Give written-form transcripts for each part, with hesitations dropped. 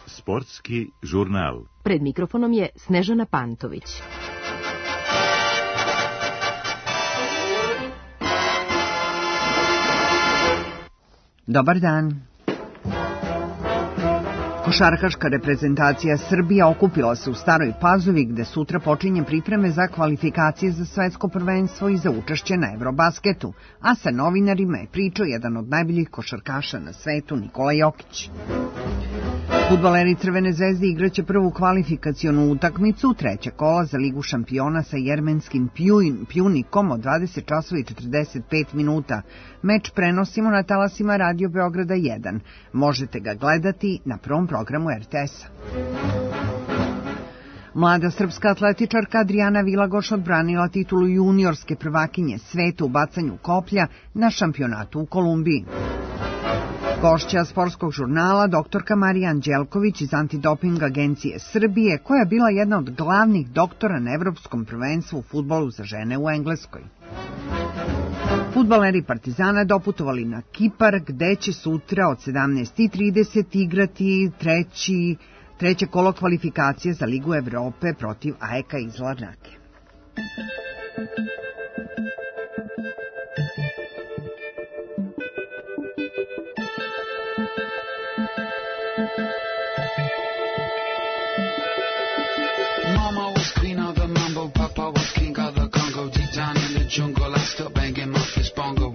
Sportski žurnal. Pred mikrofonom je Snežana Pantović. Dobar dan. Košarkaška reprezentacija Srbije okupila se u Staroj Pazovi gde sutra počinje pripreme za kvalifikacije za svetsko prvenstvo i za učešće na Eurobasketu, a sa novinarima je pričao jedan od najboljih košarkaša na svetu, Nikola Jokić. Fudbaleri Crvene zvezde igraće prvu kvalifikacionu utakmicu, treće kola za Ligu šampiona sa jermenskim Pjunikom od 20 časova i 45 minuta. Meč prenosimo na talasima Radio Beograda 1. Možete ga gledati na prvom programu RTS-a. Mlada srpska atletičarka Adriana Vilagoš odbranila titulu juniorske prvakinje sveta u bacanju koplja na šampionatu u Kolumbiji. Gošća sportskog žurnala doktorka Marija Anđelković iz Antidoping agencije Srbije, koja je bila jedna od glavnih doktora na evropskom prvenstvu u fudbalu za žene u Engleskoj. Fudbaleri Partizana doputovali na Kipar, gde će sutra od 17:30 igrati treće kolo kvalifikacije za Ligu Evrope protiv AEK iz Larnake. Jungle, I still banging my fist bongo.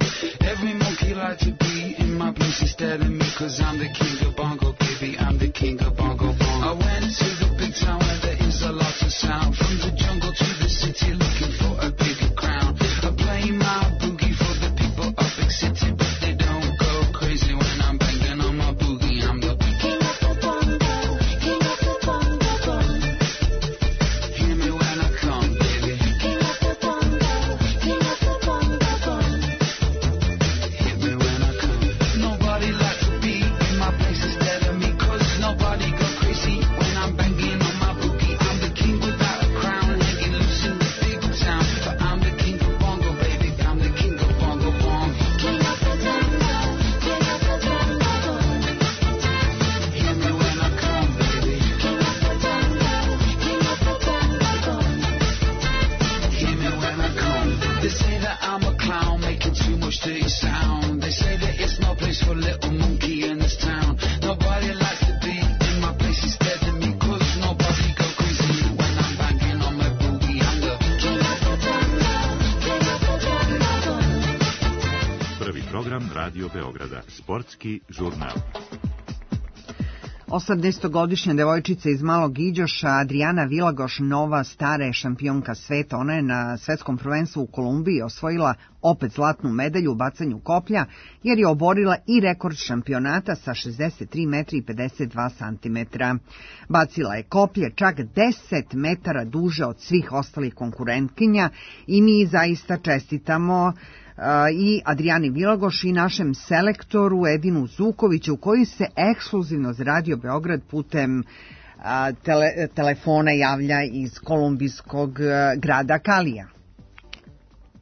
Every monkey like to be in my place instead of me, cause I'm the king of bongo, baby, I'm the king of bongo bongo. I went to the big town where there is a lot of sound, from the jungle to the city looking for a bigger crown. I play my boogie for the people of big city, but they don't go crazy when I'm banging on my boogie. I'm the king of the bongo, king of the bongo bongo. Hear me when I come, baby. King of the bongo. Radio Beograda, sportski žurnal. 18-godišnja devojčica iz Malog Iđoša, Adriana Vilagoš, nova stara je šampionka sveta. Ona je na svetskom prvenstvu u Kolumbiji osvojila opet zlatnu medalju u bacanju koplja, jer je oborila i rekord šampionata sa 63 metra i 52 santimetra. Bacila je koplje čak 10 metara duže od svih ostalih konkurentkinja i mi zaista čestitamo i Adrijani Vilagoš i našem selektoru Edinu Zukoviću, koji se ekskluzivno za Radio Beograd putem telefona javlja iz kolumbijskog grada Kalija.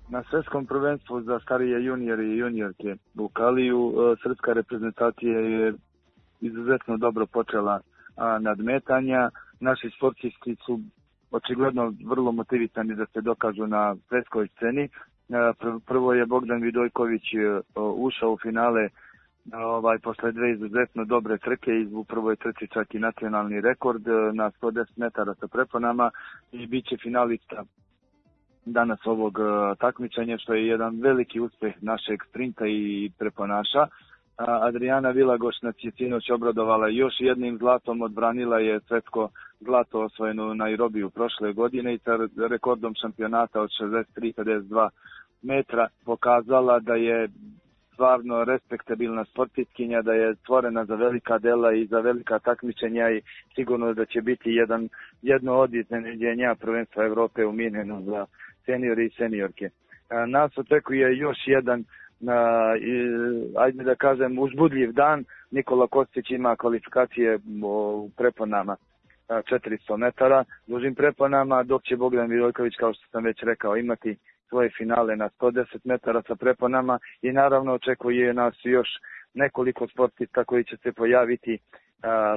Na svetskom prvenstvu za starije juniore i juniorke u Kaliju srpska reprezentacija je izuzetno dobro počela nadmetanja. Naši sportisti su očigledno vrlo motivisani da se dokažu na svetskoj sceni. Prvo je Bogdan Vidojković ušao u finale posle dve izuzetno dobre trke i u prvoj trci čak i nacionalni rekord na 110 metara sa preponama i bit će finalista danas ovog takmičenja, što je jedan veliki uspeh našeg sprinta i preponaša. Adriana Vilagoš nas je sinoć obradovala još jednim zlatom, odbranila je svetsko zlato osvojeno u Nairobiju prošle godine i sa rekordom šampionata od 63,52 metra pokazala da je stvarno respektabilna sportistkinja, da je stvorena za velika dela i za velika takmičenja i sigurno da će biti jedno od iznenađenja prvenstva Evrope u Minhenu za seniori i seniorke. Nas očekuje još jedan ajde da kažem uzbudljiv dan. Nikola Kostić ima kvalifikacije u preponama 400 metara dužim preponama, dok će Bogdan Vidojković, kao što sam već rekao, imati svoje finale na 110 metara sa preponama i naravno očekuje nas još nekoliko sportista koji će se pojaviti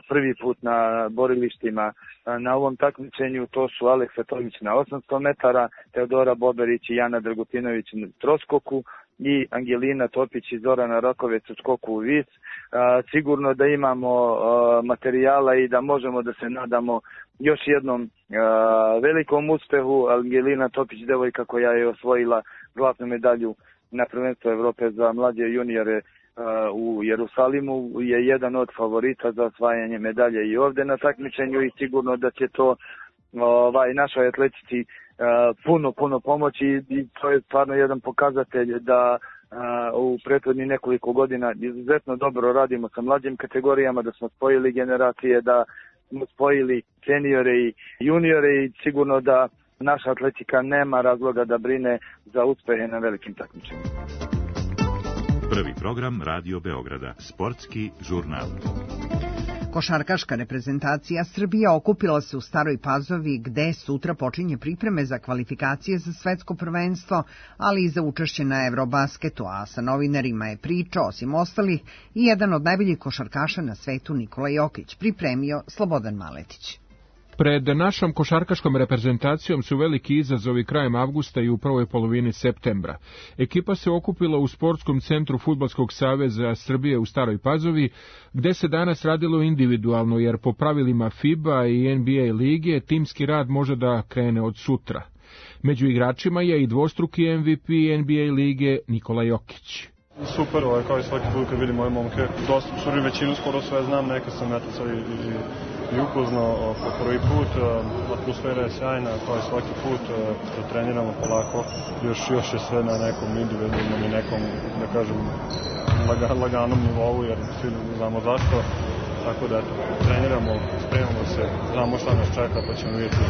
prvi put na borilištima na ovom takmičenju. To su Aleksa Tomić na 800 metara, Teodora Boberić i Jana Dragutinović na troskoku i Angelina Topić i Zorana Rakovec u skoku u vis. Sigurno da imamo materijala i da možemo da se nadamo još jednom velikom uspehu. Angelina Topić, devojka koja je osvojila zlatnu medalju na prvenstvu Evrope za mlađe juniore u Jerusalimu, je jedan od favorita za osvajanje medalje i ovde na takmičenju i sigurno da će to našoj atletici puno pomoći i to je stvarno jedan pokazatelj da u prethodnih nekoliko godina izuzetno dobro radimo sa mlađim kategorijama, da smo spojili generacije, da smo spojili seniore i juniore i sigurno da naša atletika nema razloga da brine za uspehe na velikim takmičenjima. Prvi program Radio Beograda, sportski žurnal. Košarkaška reprezentacija Srbije okupila se u Staroj Pazovi gde sutra počinje pripreme za kvalifikacije za svetsko prvenstvo, ali i za učešće na Eurobasketu, a sa novinarima je pričao, osim ostalih, i jedan od najboljih košarkaša na svetu Nikola Jokić, pripremio Slobodan Maletić. Pred našom košarkaškom reprezentacijom su veliki izazovi krajem avgusta i u prvoj polovini septembra. Ekipa se okupila u Sportskom centru Fudbalskog saveza Srbije u Staroj Pazovi, gde se danas radilo individualno, jer po pravilima FIBA i NBA lige timski rad može da krene od sutra. Među igračima je i dvostruki MVP NBA lige Nikola Jokić. Super, kao i svaki put kad vidim moje momke, dosta su većinu skoro sve znam, neka sam sad i upoznao po prvi put, atmosfera je sjajna, kao i svaki put, treniramo polako, još je sve na nekom individualnom i nekom, da kažem, laganom nivou, jer svi znamo zašto, tako da treniramo, spremamo se, znamo šta nas čeka, pa ćemo vidjeti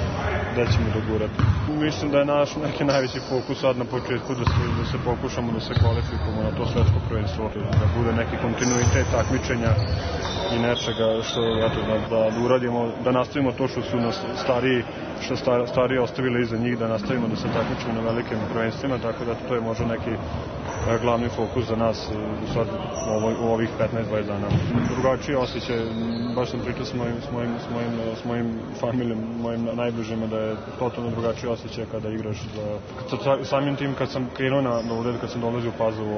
gde ćemo dogurati. Mislim da je naš neki najveći fokus sad na početku da se pokušamo da se kvalifikujemo na to svetsko prvenstvo, da bude neki kontinuitet takmičenja i nečega što da uradimo, da nastavimo to što su nas stariji ostavili iza njih, da nastavimo da se takmičimo na velikim prvenstvima, tako da to je možda neki glavni fokus za nas sad u ovih 15-20 dana. Drugačiji osjećaj, baš sam pričao s mojim familijom, mojim najbližima, da je totalno drugačiji osjećaj kada igraš. Samim tim kad sam krenuo na ured, kad sam dolazio u Pazovu,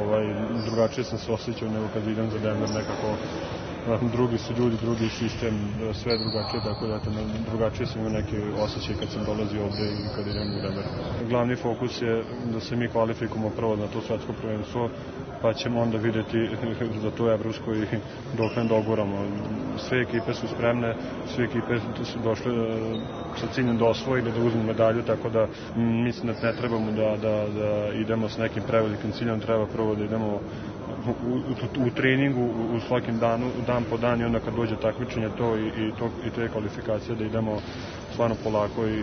drugačije sam se osjećao nego kad idem za Denver, nekako drugi su ljudi, drugi sistem, sve drugačije, tako da drugačije sam imao neki osjećaj kad sam dolazio ovde i kad idem u Denver. Glavni fokus je da se mi kvalifikujemo prvo na to svetsko prvenstvo, pa ćemo onda vidjeti za to evropsko i dok ne doguramo. Sve ekipe su spremne, sve ekipe su došle sa ciljem da osvojili, da uzmu medalju, tako da mislim da ne trebamo da idemo s nekim prevelikim ciljem, treba prvo da idemo u treningu u svakim danu, dan po dan, i onda kad dođe takmičenje i te kvalifikacije da idemo stvarno polako i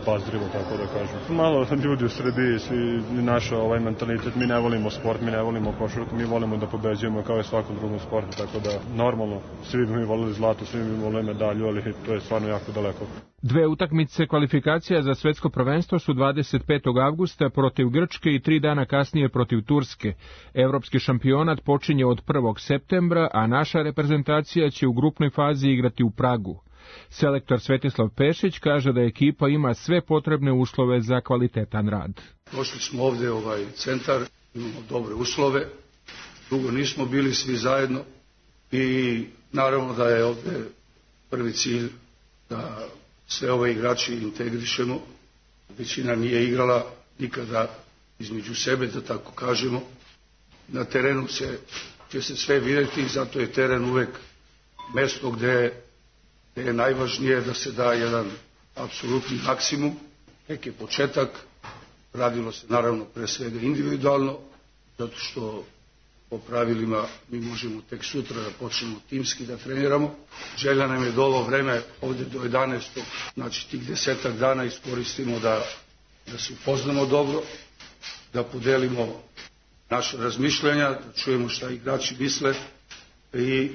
upazljivo, tako da kažem. Malo ljudi u Srbiji, svi naš mentalitet, mi ne volimo sport, mi ne volimo košarku, mi volimo da pobeđujemo kao i svakom drugom sportu, tako da normalno svi bi mi volili zlato, svi bi mi volili medalju, ali to je stvarno jako daleko. Dve utakmice kvalifikacija za svetsko prvenstvo su 25. avgusta protiv Grčke i 3 dana kasnije protiv Turske. Evropski šampionat počinje od 1. septembra, a naša reprezentacija će u grupnoj fazi igrati u Pragu. Selektor Svetislav Pešić kaže da ekipa ima sve potrebne uslove za kvalitetan rad. Došli smo ovde u ovaj centar, imamo dobre uslove, dugo nismo bili svi zajedno i naravno da je ovde prvi cilj da sve ove igrači integrišemo. Većina nije igrala nikada između sebe, da tako kažemo. Na terenu će se sve vidjeti i zato je teren uvek mesto gde je najvažnije da se da jedan apsolutni maksimum, neki početak. Radilo se naravno pre svega individualno, zato što po pravilima mi možemo tek sutra da počnemo timski da treniramo. Želja nam je da ovo vreme ovde do 11. znači tih 10 dana iskoristimo da se upoznamo dobro, da podelimo naše razmišljanja, da čujemo šta igrači misle i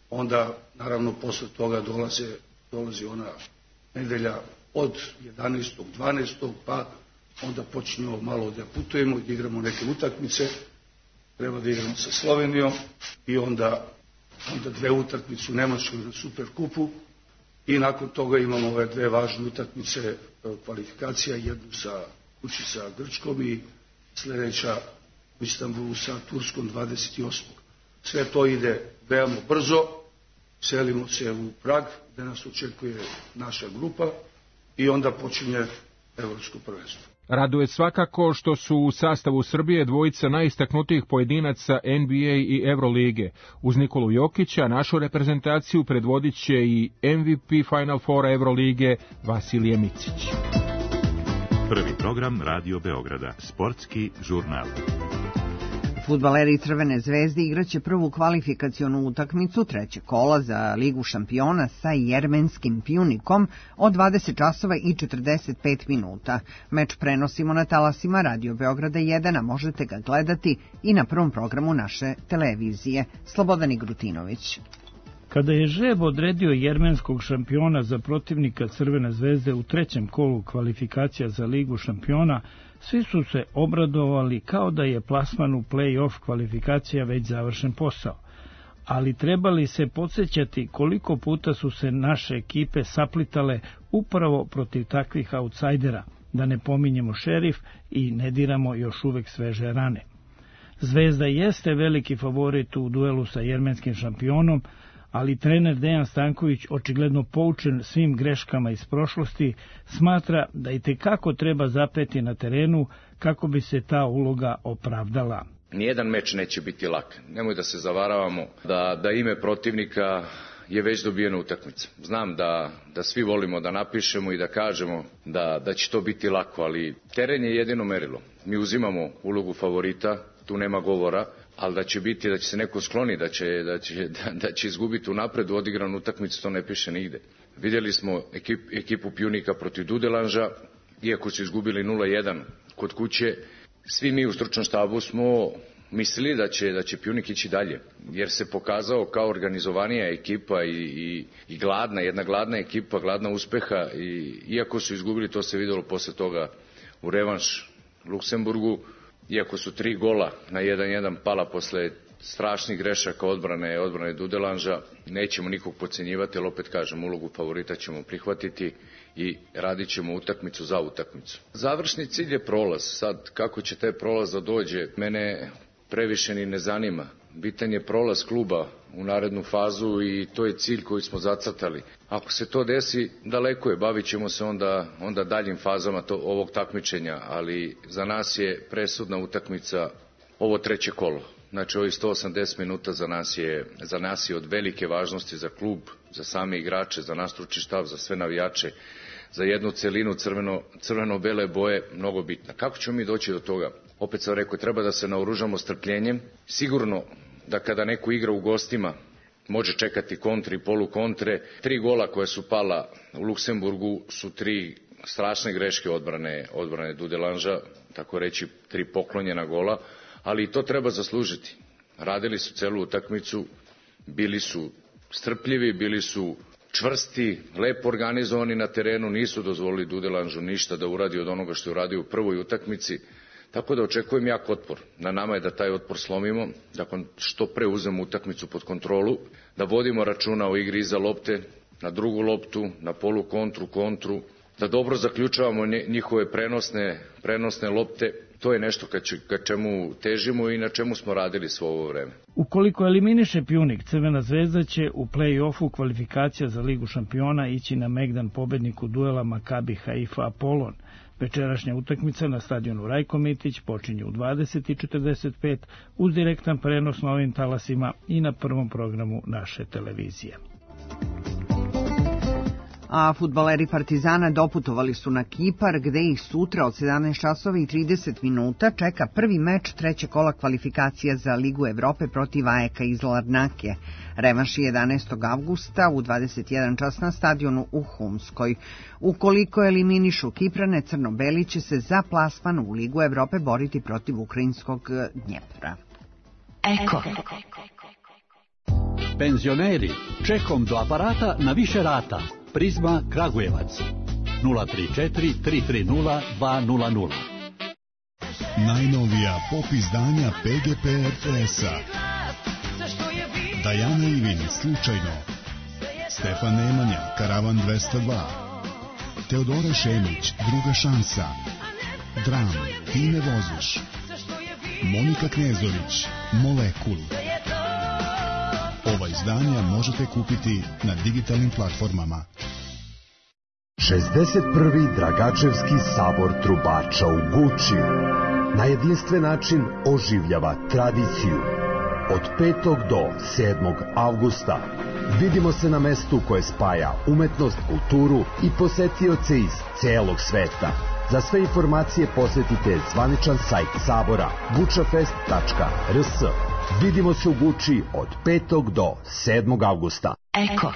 onda naravno posle toga dolazi ona nedelja od 11. 12. pa onda počinjemo malo da putujemo i da igramo neke utakmice. Treba da igramo sa Slovenijom i onda 2 utakmice u Nemačkoj na Superkupu i nakon toga imamo ove 2 važne utakmice kvalifikacija, jednu kući sa Grčkom i sljedeća u Istanbulu sa Turskom 28. Sve to ide veoma brzo, selimo se u Prag gde nas očekuje naša grupa i onda počinje evropsko prvenstvo. Raduje svakako što su u sastavu Srbije dvojica najistaknutijih pojedinaca NBA i Evrolige. Uz Nikolu Jokića našu reprezentaciju predvodit će i MVP Final Foura Evrolige Vasilije Micić. Prvi program Radio Beograda, sportski žurnal. Fudbaleri Crvene zvezde igraće prvu kvalifikacionu utakmicu 3. kola za Ligu šampiona sa jermenskim Pjunikom od 20 časova i 45 minuta. Meč prenosimo na talasima Radio Beograda 1, a možete ga gledati i na prvom programu naše televizije. Slobodan Igrutinović. Kada je žreb odredio jermenskog šampiona za protivnika Crvene zvezde u 3. kolu kvalifikacija za Ligu šampiona, svi su se obradovali kao da je plasman u play-off kvalifikacija već završen posao. Ali trebali se podsjećati koliko puta su se naše ekipe saplitale upravo protiv takvih autsajdera, da ne pominjemo Šerif i ne diramo još uvek sveže rane. Zvezda jeste veliki favorit u duelu sa jermenskim šampionom, ali trener Dejan Stanković, očigledno poučen svim greškama iz prošlosti, smatra da itekako treba zapeti na terenu kako bi se ta uloga opravdala. Nijedan meč neće biti lak. Nemoj da se zavaravamo da ime protivnika je već dobijena utakmica. Znam da svi volimo da napišemo i da kažemo da će to biti lako, ali teren je jedino merilo. Mi uzimamo ulogu favorita, tu nema govora, ali da će se neko skloni, da će izgubiti unapred u odigranu utakmicu, to ne piše nigde. Vidjeli smo ekipu Pjunika protiv Dudelanža, iako su izgubili 0-1 kod kuće, svi mi u stručnom štabu smo mislili da će Pjunik ići dalje, jer se pokazao kao organizovanija ekipa i jedna gladna ekipa, gladna uspeha, i iako su izgubili, to se vidjelo posle toga u revanš Luksemburgu, iako su 3 gola na 1-1 pala posle strašnih grešaka odbrane Dudelanža, nećemo nikog podcenjivati, ali opet kažem, ulogu favorita ćemo prihvatiti i radit ćemo utakmicu za utakmicu. Završni cilj je prolaz. Sad, kako će taj prolaz da dođe, mene previše ni ne zanima. Bitan je prolaz kluba u narednu fazu i to je cilj koji smo zacrtali. Ako se to desi, daleko je, bavit ćemo se onda daljim fazama ovog takmičenja, ali za nas je presudna utakmica ovo 3. kolo. Znači, ovih 180 minuta za nas je od velike važnosti za klub, za same igrače, za nas stručni štab, za sve navijače, za jednu celinu crveno-bele boje mnogo bitna. Kako ćemo mi doći do toga? Opet sam rekao, treba da se naoružamo strpljenjem. Sigurno da kada neko igra u gostima, može čekati kontre i polukontre. 3 gola koja su pala u Luksemburgu su 3 strašne greške odbrane Dudelanža, tako reći 3 poklonjena gola, ali i to treba zaslužiti. Radili su celu utakmicu, bili su strpljivi, bili su čvrsti, lepo organizovani na terenu, nisu dozvolili Dudelanžu ništa da uradi od onoga što je uradio u prvoj utakmici, tako da očekujem jak otpor. Na nama je da taj otpor slomimo, da što pre uzmemo utakmicu pod kontrolu, da vodimo računa o igri iza lopte, na drugu loptu, na polu kontru, da dobro zaključavamo njihove prenosne lopte. To je nešto ka čemu težimo i na čemu smo radili svo ovo vreme. Ukoliko eliminiše Pjunik, Crvena zvezda će u play-offu kvalifikacija za Ligu šampiona ići na megdan pobedniku duela Makabi Haifa Apolon. Večerašnja utakmica na stadionu Rajko Mitić počinje u 20:45 uz direktan prenos na ovim talasima i na prvom programu naše televizije. A fudbaleri Partizana doputovali su na Kipar, gde ih sutra od 17 časova i 30 minuta čeka prvi meč 3. kola kvalifikacija za Ligu Evrope protiv AEK iz Larnake. Revanš je 11. avgusta u 21 čas na stadionu u Humskoj. Ukoliko eliminišu Kiprane, crno-beli će se za plasman u Ligu Evrope boriti protiv ukrajinskog Dnjepra. Eko. Penzioneri, čekom do aparata na više rata. Prizma Kragujevac. 034 330 200. Najnovija pop izdanja PGP RTS-a. Dajana Ivin, Slučajno. Stefan Nemanja, Karavan 202. Teodora Šemić, Druga šansa. Dram, Ti me voziš. Monika Knezović, Molekul. Ova izdanja možete kupiti na digitalnim platformama. 61. Dragačevski sabor trubača u Guči na jedinstven način oživljava tradiciju. Od 5. do 7. avgusta vidimo se na mestu koje spaja umetnost, kulturu i posetioce iz celog sveta. Za sve informacije posetite zvaničan sajt sabora gučafest.rs. Vidimo se u Guči od 5. do 7. avgusta. Eko.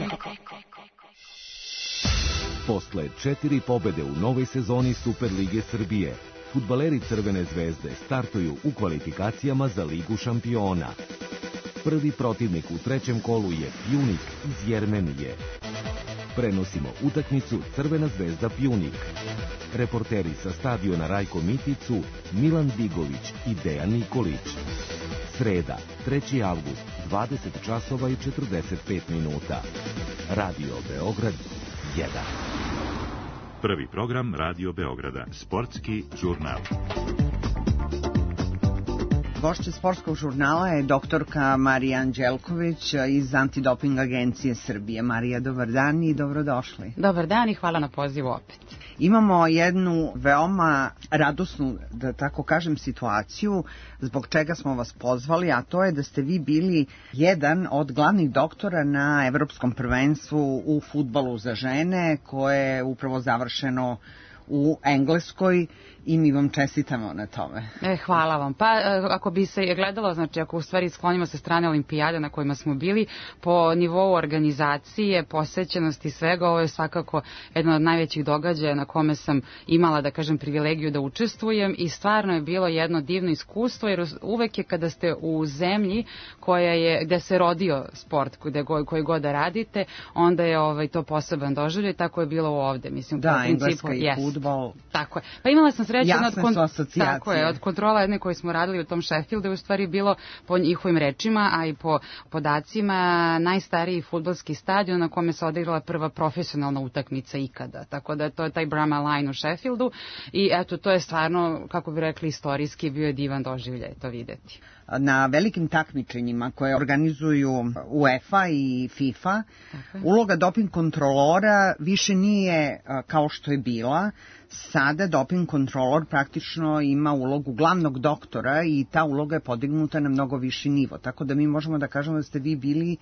Posle 4 pobede u novoj sezoni Superlige Srbije, fudbaleri Crvene zvezde startuju u kvalifikacijama za Ligu šampiona. Prvi protivnik u trećem kolu je Pjunik iz Jermenije. Prenosimo utakmicu Crvena zvezda Pjunik. Reporteri sa stadiona Rajko Miticu, Milan Bigović i Dejan Nikolić. Sreda, 3. avgust, 20 časova i 45 minuta. Radio Beograd 1. Prvi program Radio Beograda, sportski žurnal. Gošća sportskog žurnala je doktorka Marija Anđelković iz Antidoping agencije Srbije. Marija, dobar dan i dobrodošli. Dobar dan i hvala na pozivu opet. Imamo jednu veoma radosnu, da tako kažem, situaciju zbog čega smo vas pozvali, a to je da ste vi bili jedan od glavnih doktora na Evropskom prvenstvu u fudbalu za žene, koje je upravo završeno u Engleskoj i mi vam čestitamo na tome. Hvala vam. Pa ako bi se gledalo, znači ako u stvari sklonimo sa strane olimpijade na kojima smo bili, po nivou organizacije, posećenosti svega, ovo je svakako jedan od najvećih događaja na kome sam imala, da kažem, privilegiju da učestvujem i stvarno je bilo jedno divno iskustvo, jer uvek je kada ste u zemlji koja je, gde se rodio sport, koji god da radite, onda je to poseban doživljaj, tako je bilo ovde. Mislim, da, Engleska i fudbal. Tako je. Pa imala sam sreću tako je, od kontrola jedne koje smo radili u tom Sheffieldu je u stvari bilo, po njihovim rečima, a i po podacima, najstariji fudbalski stadion na kome se odigrala prva profesionalna utakmica ikada. Tako da to je taj Bramall Line u Sheffieldu i eto, to je stvarno, kako bi rekli, istorijski bio divan doživljaj to videti. Na velikim takmičenjima koje organizuju UEFA i FIFA, uloga doping kontrolora više nije kao što je bila. Sada doping kontrolor praktično ima ulogu glavnog doktora i ta uloga je podignuta na mnogo viši nivo. Tako da mi možemo da kažemo da ste vi bili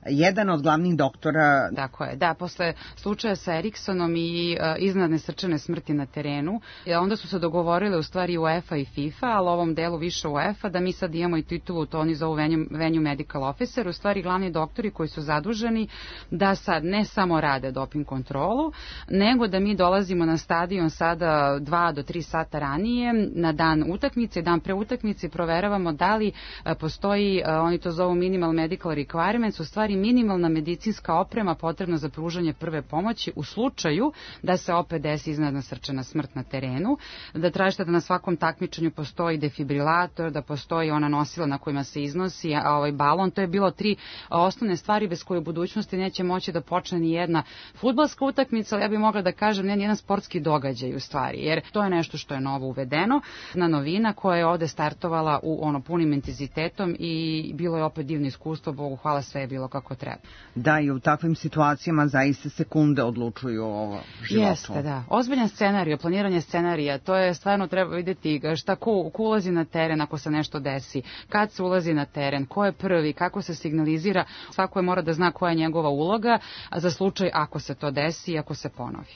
jedan od glavnih doktora. Tako je, da, posle slučaja sa Eriksonom i iznenadne srčane smrti na terenu, onda su se dogovorile u stvari UEFA i FIFA, ali ovom delu više UEFA, da mi sad imamo i titulu, to oni zovu venue medical officer, u stvari glavni doktori koji su zaduženi da sad ne samo rade doping kontrolu, nego da mi dolazimo na stadion sada 2 do 3 sata ranije, na dan utakmice, dan pre utakmice, proveravamo da li postoji, oni to zovu minimal medical requirements, u stvari minimalna medicinska oprema potrebna za pružanje prve pomoći u slučaju da se opet desi iznenadna srčana smrt na terenu, da tražite da na svakom takmičenju postoji defibrilator, da postoji ona nosila na kojima se iznosi balon. To je bilo 3 osnovne stvari bez koje u budućnosti neće moći da počne ni jedna fudbalska utakmica, ali ja bih mogla da kažem ne ni jedan sportski događaj u stvari, jer to je nešto što je novo uvedeno, na novina koja je ovde startovala u punim intenzitetom i bilo je opet divno iskustvo, Bogu hvala, sve je bilo kako treba. Da, i u takvim situacijama zaista sekunde odlučuju o životu. Jeste, da. Ozbiljan scenarij, planiranje scenarija, to je stvarno treba vidjeti šta ko ulazi na teren ako se nešto desi, kad se ulazi na teren, ko je prvi, kako se signalizira, svako je mora da zna koja je njegova uloga za slučaj ako se to desi i ako se ponovi.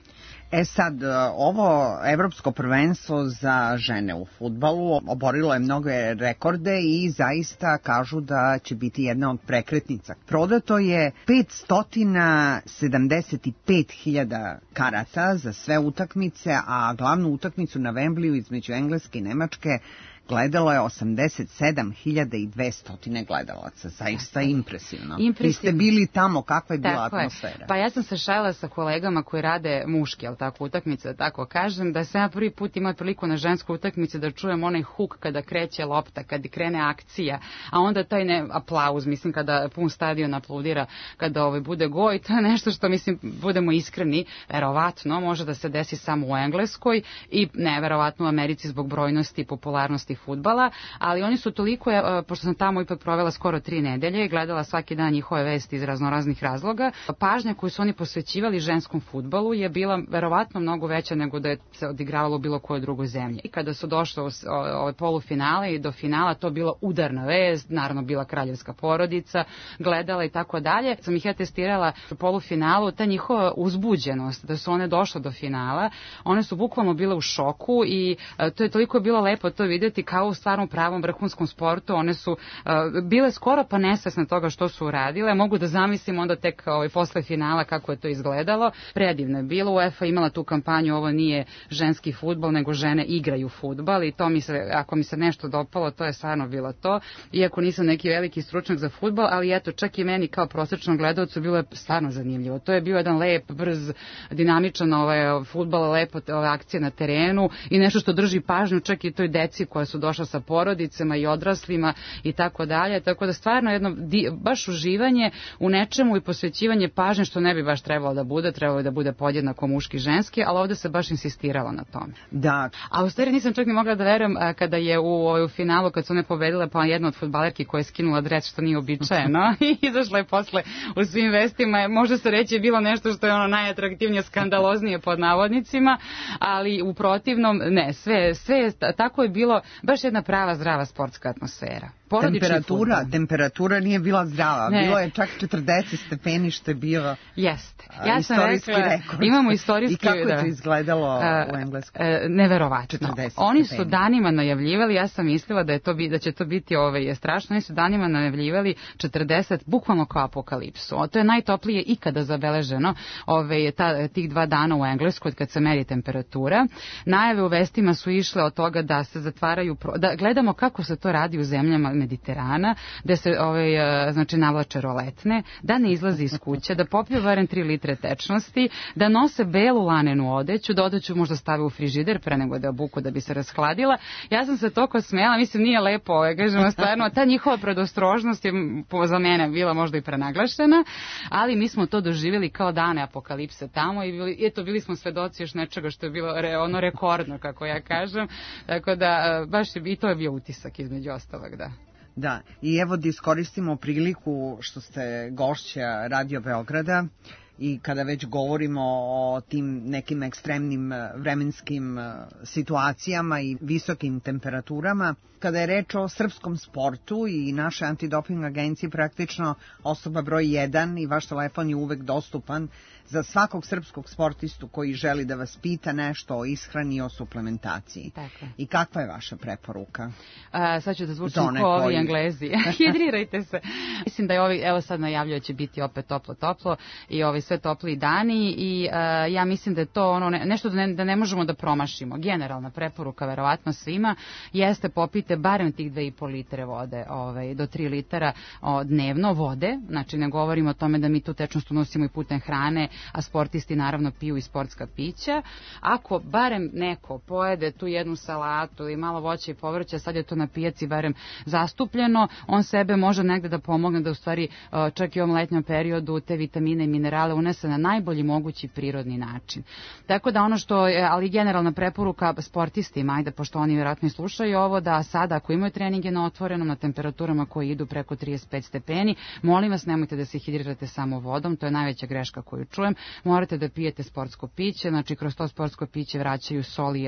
Sad, ovo evropsko prvenstvo za žene u fudbalu oborilo je mnoge rekorde i zaista kažu da će biti jedna od prekretnica. Prodato je 575.000 karata za sve utakmice, a glavnu utakmicu na Wembleyu između Engleske i Nemačke gledalo je 87.200 gledalaca. Zaista impresivno. Vi ste bili tamo, kakva je bila atmosfera? Pa ja sam se šalila sa kolegama koji rade muške, jel tako, utakmice, da tako kažem, da sam ja prvi put imala priliku na ženskoj utakmici da čujem onaj huk kada kreće lopta, kada krene akcija, a onda taj aplauz, mislim, kada pun stadion aplaudira, kada bude gol, i to je nešto što, mislim, budemo iskreni, verovatno može da se desi samo u Engleskoj i neverovatno u Americi zbog brojnosti i popularnosti fudbala, ali oni su toliko, pošto sam tamo ipak provela skoro 3 nedelje i gledala svaki dan njihove vesti iz raznoraznih razloga, pažnja koju su oni posvećivali ženskom fudbalu je bila verovatno mnogo veća nego da je se odigravalo u bilo kojoj drugoj zemlji. I kada su došle u ove polufinale i do finala, to bila udarna vest, naravno bila kraljevska porodica, gledala i tako dalje. Sam ih ja testirala u polufinalu, ta njihova uzbuđenost, da su one došle do finala, one su bukvalno bile u šoku i to je toliko bilo lepo to vidjeti kao u stvarnom pravom vrhunskom sportu. One su bile skoro pa nesvesne toga što su uradile. Mogu da zamislim onda tek posle finala kako je to izgledalo. Predivno je bilo. UEFA imala tu kampanju, ovo nije ženski fudbal, nego žene igraju fudbal i to mi se, ako mi se nešto dopalo, to je stvarno bilo to. Iako nisam neki veliki stručnjak za fudbal, ali eto, čak i meni kao prosječnom gledalcu bilo je stvarno zanimljivo. To je bio jedan lep, brz, dinamičan fudbal, lepo akcije na terenu i nešto što drži pažnju čak i toj deci koja su došla sa porodicama i odraslima i tako dalje. Tako da stvarno jedno baš uživanje u nečemu i posvećivanje pažnje što ne bi baš trebalo da bude podjednako muški i ženski, ali ovde se baš insistiralo na tome. Da. A u stvari nisam čak ni mogla da verujem kada je u finalu, kad su one pobedile, pa jedna od fudbalerki koja je skinula dres, što nije uobičajeno i izašla je posle u svim vestima. Može se reći je bilo nešto što je ono najatraktivnije, skandaloznije pod navodnicima, ali u protivnom ne, sve tako je bilo, baš jedna prava zdrava sportska atmosfera. Temperatura nije bila zdrava, bilo je čak 40 stepeni što je bio istorijski rekord. Imamo istorijski... I kako je to izgledalo u Engleskoj? Neverovatno. Oni su danima najavljivali, ja sam mislila da će to biti strašno, oni su danima najavljivali 40, bukvalno kao apokalipsu. To je najtoplije ikada zabeleženo tih 2 dana u Engleskoj kad se meri temperatura. Najave u vestima su išle od toga da se zatvaraju, da gledamo kako se to radi u zemljama Mediterana, da se navlače roletne, da ne izlazi iz kuće, da popiju barem 3 litre tečnosti, da nose belu lanenu odeću, da odeću možda stave u frižider pre nego da obuku da bi se rashladila. Ja sam se toliko smijela, mislim nije lepo, kažemo stvarno, ta njihova predostrožnost je za mene bila možda i prenaglašena, ali mi smo to doživjeli kao dane apokalipse tamo i bili smo svedoci još nečega što je bilo rekordno, kako ja kažem, tako da baš i to je bio utisak između ostalog, da. Da, i evo da iskoristimo priliku što ste gošća Radio Beograda i kada već govorimo o tim nekim ekstremnim vremenskim situacijama i visokim temperaturama, kada je reč o srpskom sportu i naše antidoping agencije, praktično osoba broj 1 i vaš telefon je uvek dostupan za svakog srpskog sportistu koji želi da vas pita nešto o ishrani i o suplementaciji. Tako. I kakva je vaša preporuka? Sad ću da zvučim ko ovi Englezi. Hidrirajte se. Mislim da je evo sad najavljaju će biti opet toplo i sve topli dani i ja mislim da je to nešto da ne možemo da promašimo. Generalna preporuka verovatno svima jeste popite barem tih 2,5 litre vode do 3 litara dnevno vode. Znači ne govorimo o tome da mi tu tečnost unosimo i putem hrane, a sportisti naravno piju i sportska pića. Ako barem neko pojede tu jednu salatu i malo voća i povrća, sad je to na pijaci barem zastupljeno, on sebe može negde da pomogne da u stvari čak i u ovom letnjem periodu te vitamine i minerale unese na najbolji mogući prirodni način. Tako da ono što je, ali generalna preporuka sportistima, ajde pošto oni vjerojatno i slušaju ovo, da sada ako imaju treninge na otvorenom, na temperaturama koje idu preko 35 stepeni, molim vas nemojte da se hidrirate samo vodom, to je najveća greška koju čujem. Morate da pijete sportsko piće, znači kroz to sportsko piće vraćaju soli,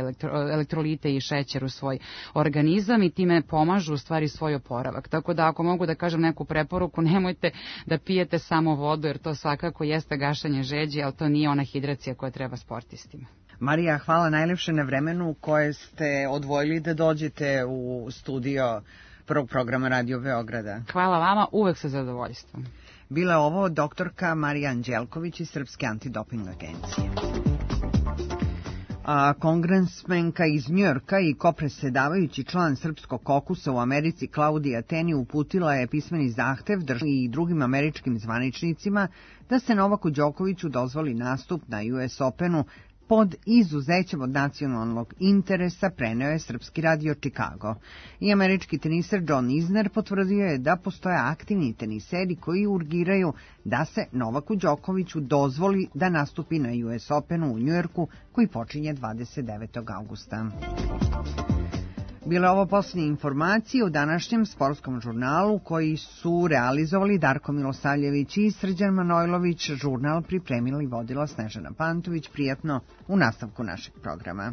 elektrolite i šećer u svoj organizam i time pomažu u stvari svoj oporavak. Tako da ako mogu da kažem neku preporuku, nemojte da pijete samo vodu jer to svakako jeste gašanje žeđi, ali to nije ona hidracija koja treba sportistima. Marija, hvala najlepše na vremenu koje ste odvojili da dođete u studio prvog programa Radio Beograda. Hvala vama, uvek sa zadovoljstvom. Bila je ovo doktorka Marija Anđelković iz Srpske antidoping agencije. A kongresmenka iz Njujorka i kopresedavajući član Srpskog kokusa u Americi Klaudija Teni uputila je pismeni zahtev i drugim američkim zvaničnicima da se Novaku Đokoviću dozvoli nastup na US Openu pod izuzećem od nacionalnog interesa, preneo je Srpski radio Chicago. I američki teniser John Isner potvrdio je da postoje aktivni teniseri koji urgiraju da se Novaku Đokoviću dozvoli da nastupi na US Openu u Njujorku koji počinje 29. augusta. Bile ovo posljednje informacije u današnjem sportskom žurnalu koji su realizovali Darko Milosavljević i Srđan Manojlović. Žurnal pripremila i vodila Snežana Pantović. Prijatno u nastavku našeg programa.